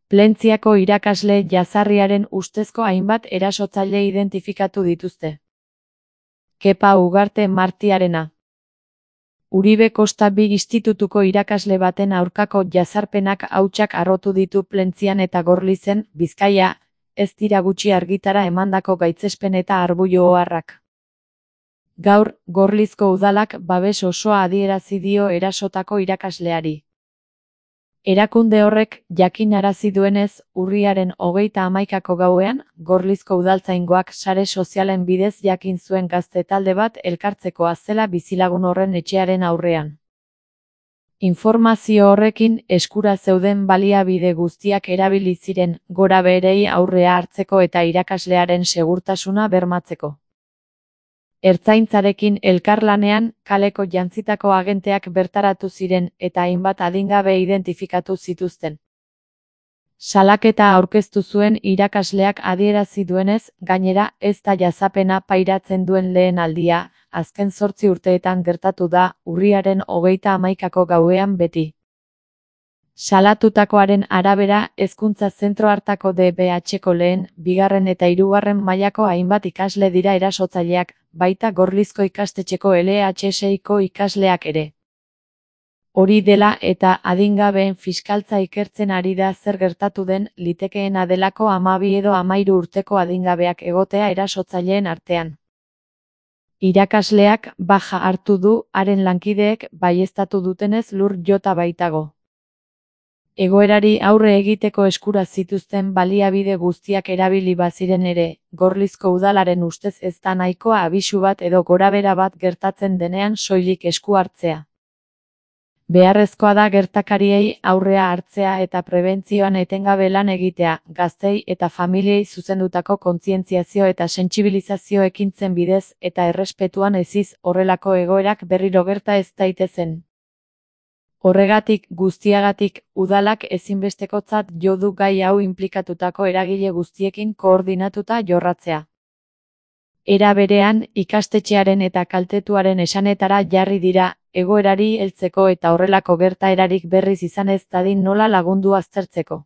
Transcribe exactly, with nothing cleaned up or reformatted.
Plentziako irakasle jazarriaren ustezko hainbat erasotzaile identifikatu dituzte. Kepa Ugarte Martiarena. Uribe Kosta bi institutuko irakasle baten aurkako jazarpenak hautsak harrotu ditu Plentzian eta Gorlizen, Bizkaia, ez dira gutxi argitara emandako gaitzespen eta arbuio oharrak. Gaur, Gorlizko udalak babes osoa adierazi dio erasotako irakasleari. Erakunde horrek jakinarazi duenez, urriaren hogeita hamaikako gauean, Gorlizko udaltzaingoak sare sozialen bidez jakin zuen gazte talde bat elkartzekoa zela bizilagun horren etxearen aurrean. Informazio horrekin eskura zeuden baliabide guztiak erabili ziren gorabeherei aurrea hartzeko eta irakaslearen segurtasuna bermatzeko. Ertzaintzarekin elkarlanean, kaleko jantzitako agenteak bertaratu ziren eta hainbat adingabe identifikatu zituzten. Salaketa aurkeztu zuen irakasleak adierazi duenez, gainera ez da jazapena pairatzen duen lehen aldia, azken zortzi urteetan gertatu da, urriaren hogeita hamaikako gauean beti. Salatutakoaren arabera, hezkuntza zentro hartako D B H-ko lehen, bigarren eta hirugarren mailako hainbat ikasle dira erasotzaileak, baita Gorlizko ikastetxeko L H seiko ikasleak ere. Hori dela eta adingabeen fiskaltza ikertzen ari da zer gertatu den, litekeena delako hamabi edo hamahiru urteko adingabeak egotea erasotzaileen artean. Irakasleak baja hartu du, haren lankideek baieztatu dutenez lur jota baitago. Egoerari aurre egiteko eskura zituzten baliabide guztiak erabili baziren ere, Gorlizko udalaren ustez ez da nahikoa abisu bat edo gorabehera bat gertatzen denean soilik esku hartzea. Beharrezkoa da gertakariei aurrea hartzea eta prebentzioan etengabe lan egitea, gaztei eta familiei zuzendutako kontzientziazio eta sentsibilizazio ekintzen bidez eta errespetuan eziz horrelako egoerak berriro gerta ez daitezen. Horregatik, guztiagatik, udalak ezinbestekotzat jo du gai hau inplikatutako eragile guztiekin koordinatuta jorratzea. Era berean, ikastetxearen eta kaltetuaren esanetara jarri dira, egoerari heltzeko eta horrelako gertaerarik berriz izan ez dadin nola lagundu aztertzeko.